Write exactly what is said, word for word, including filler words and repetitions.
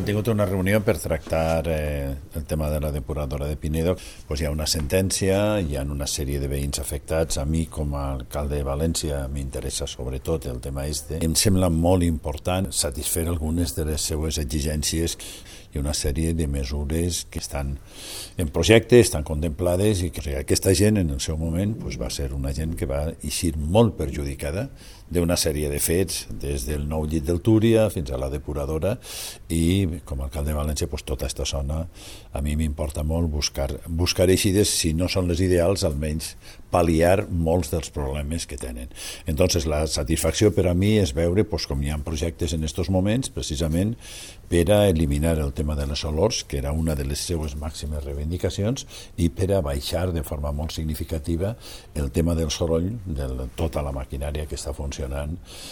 Hem tingut una reunió per tractar eh, el tema de la depuradora de Pinedo. Pues hi ha una sentència, hi ha una sèrie de veïns afectats. A mi, com a alcalde de València, m'interessa sobretot el tema este. Em sembla molt important satisfer algunes de les seues exigències. Hi ha una sèrie de mesures que estan en projecte, estan contemplades, i que aquesta gent en el seu moment pues, va ser una gent que va eixir molt perjudicada d'una sèrie de fets, des del nou llit del Túria fins a la depuradora, i com a alcalde de València pues, tota aquesta zona a mi m'importa molt buscar, buscar eixides, si no són les ideals, almenys pal·liar molts dels problemes que tenen. Entonces la satisfacció per a mi és veure pues, com hi ha projectes en aquests moments precisament per a eliminar el tema de les olors, que era una de les seues màximes reivindicacions, i per a baixar de forma molt significativa el tema del soroll de tota la maquinària que està funcionant